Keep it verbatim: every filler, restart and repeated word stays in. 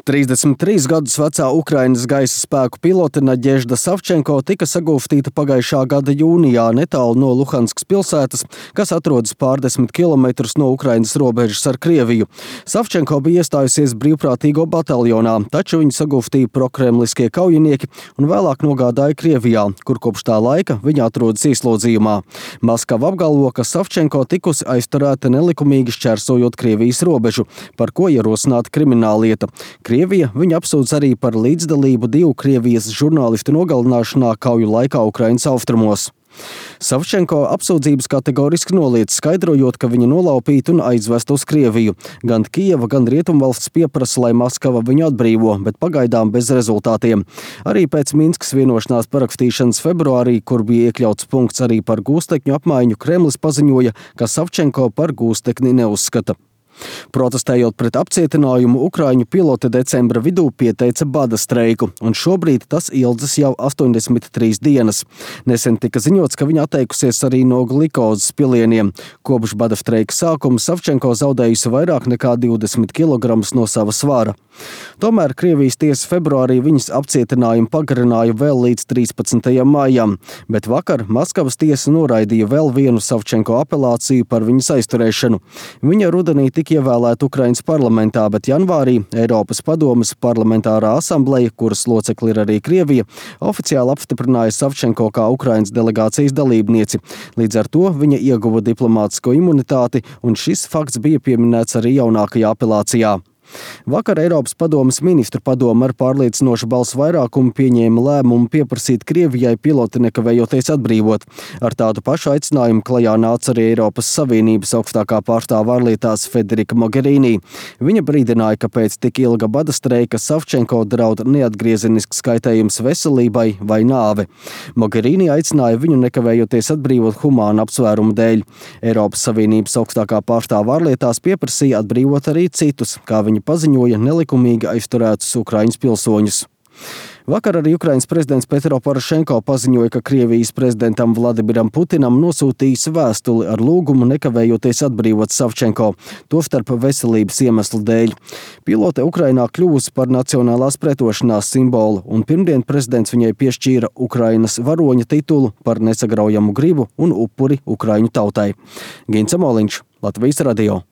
trīsdesmit trīs gadus vecā Ukrainas gaisa spēku pilote Naģežda Savčenko tika sagūstīta pagājušā gada jūnijā netālu no Luhanskas pilsētas, kas atrodas pārdesmit kilometrus no Ukrainas robežas ar Krieviju. Savčenko bija iestājusies brīvprātīgo bataljonā, taču viņu sagūstīja prokremliskie kaujinieki un vēlāk nogādāja Krievijā, kur kopš tā laika viņa atrodas ieslodzījumā. Maskava apgalvo, ka Savčenko tikusi aizturēta nelikumīgi šķērsojot Krievijas robežu, par ko ierosināta krimināllieta. Krievija viņu apsūdz arī par līdzdalību divu Krievijas žurnālistu nogalināšanā kauju laikā Ukrainas austrumos. Savčenko apsūdzības kategoriski noliedz, skaidrojot, ka viņa nolaupīta un aizvesta uz Krieviju. Gan Kijeva, gan Rietumvalsts pieprasa, lai Maskava viņu atbrīvo, bet pagaidām bez rezultātiem. Arī pēc Minskas vienošanās parakstīšanas februārī, kur bija iekļauts punkts arī par gūstekņu apmaiņu, Kremlis paziņoja, ka Savčenko par gūstekni neuzskata. Protestējot pret apcietinājumu, ukraiņu pilote decembra vidū pieteica bada streiku, un šobrīd tas ilgs jau astoņdesmit trīs dienas. Nesen tika ziņots, ka viņa atteikusies arī no glikozes pilieniem. Kopš bada streika sākuma Savčenko zaudējusi vairāk nekā divdesmit kilogramus no sava svara. Tomēr Krievijas tiesa februārī viņas apcietinājumu pagarināja vēl līdz trīspadsmitajam maijam, bet vakar Maskavas tiesa noraidīja vēl vienu Savčenko apelāciju par viņas aizturēšanu. Viņa rudenī tika ievēlēta Ukrainas parlamentā, bet janvārī Eiropas padomes parlamentārā asambleja, kuras locekli ir arī Krievija, oficiāli apstiprināja Savčenko kā Ukrainas delegācijas dalībnieci. Līdz ar to viņa ieguva diplomātisko imunitāti, un šis fakts bija pieminēts arī jaunākajā apelācijā. Vakar Eiropas padomes ministru padome ar pārliecinošu balsu vairākumu pieņēma lēmumu pieprasīt Krievijai piloti nekavējoties atbrīvot. Ar tādu pašu aicinājumu klajā nāca arī Eiropas Savienības augstākā pārstāve ārlietās Federika Mogherini. Viņa brīdināja, ka pēc tik ilga bada streika Savčenko draud neatgriezenisks kaitējums veselībai vai nāve. Mogherini aicināja viņu nekavējoties atbrīvot humānu apsvērumu dēļ. Eiropas Savienības augstākā pārstāve ārlietās pieprasīja atbrīvot arī citus, kā viņa paziņoja, nelikumīgi aizturētus Ukraiņas pilsoņus. Vakar arī Ukrainas prezidents Petro Porošenko paziņoja, ka Krievijas prezidentam Vladimiram Putinam nosūtījis vēstuli ar lūgumu nekavējoties atbrīvot Savčenko, tostarp veselības iemeslu dēļ. Pilote Ukrainā kļuvusi par nacionālās pretošanās simbolu, un pirmdien prezidents viņai piešķīra Ukrainas varoņa titulu par nesagraujamu gribu un upuri Ukraiņu tautai. Gints Amoliņš, Latvijas radio.